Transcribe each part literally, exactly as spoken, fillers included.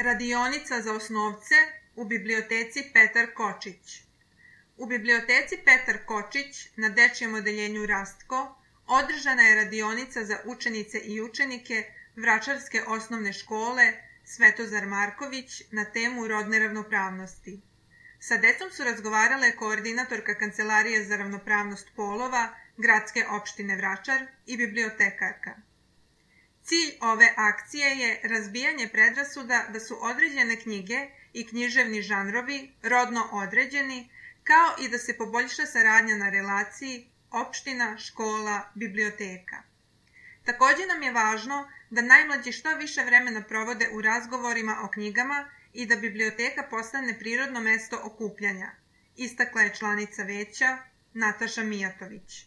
Radionica za osnovce u biblioteci Petar Kočić. U biblioteci Petar Kočić na dečijem odeljenju Rastko održana je radionica za učenice i učenike Vračarske osnovne škole Svetozar Marković na temu rodne ravnopravnosti. Sa decom su razgovarale koordinatorka Kancelarije za ravnopravnost polova Gradske opštine Vračar i bibliotekarka. Cilj ove akcije je razbijanje predrasuda da su određene knjige i književni žanrovi rodno određeni, kao i da se poboljša saradnja na relaciji opština, škola, biblioteka. Takođe nam je važno da najmlađi što više vremena provode u razgovorima o knjigama i da biblioteka postane prirodno mesto okupljanja, istakla je članica veća Nataša Mijatović.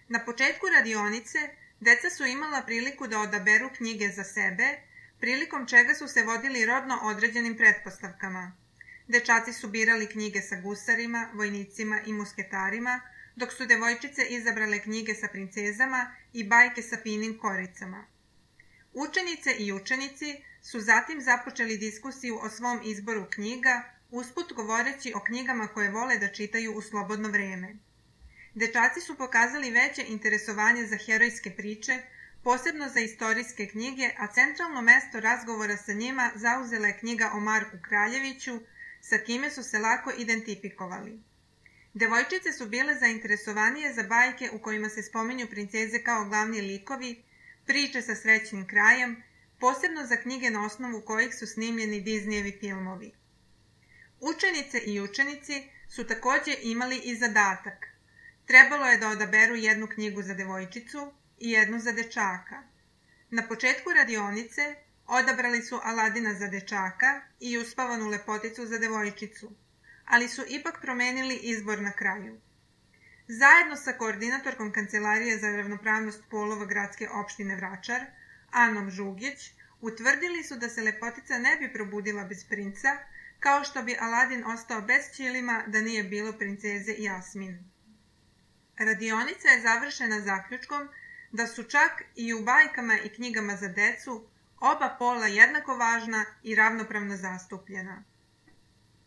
Na početku radionice deca su imala priliku da odaberu knjige za sebe, prilikom čega su se vodili rodno određenim pretpostavkama. Dečaci su birali knjige sa gusarima, vojnicima i musketarima, dok su devojčice izabrale knjige sa princezama i bajke sa finim koricama. Učenice i učenici su zatim započeli diskusiju o svom izboru knjiga, usput govoreći o knjigama koje vole da čitaju u slobodno vreme. Dečaci su pokazali veće interesovanje za herojske priče, posebno za istorijske knjige, a centralno mesto razgovora sa njima zauzela je knjiga o Marku Kraljeviću, sa kime su se lako identifikovali. Devojčice su bile zainteresovanije za bajke u kojima se spominju princeze kao glavni likovi, priče sa srećnim krajem, posebno za knjige na osnovu kojih su snimljeni Disneyevi filmovi. Učenice i učenici su takođe imali i zadatak. Trebalo je da odaberu jednu knjigu za devojčicu i jednu za dečaka. Na početku radionice odabrali su Aladina za dečaka i Uspavanu lepoticu za devojčicu, ali su ipak promenili izbor na kraju. Zajedno sa koordinatorkom Kancelarije za ravnopravnost polova Gradske opštine Vračar, Anom Žugić, utvrdili su da se lepotica ne bi probudila bez princa, kao što bi Aladin ostao bez ćilima da nije bilo princeze Jasmin. Radionica je završena zaključkom da su čak i u bajkama i knjigama za decu oba pola jednako važna i ravnopravno zastupljena.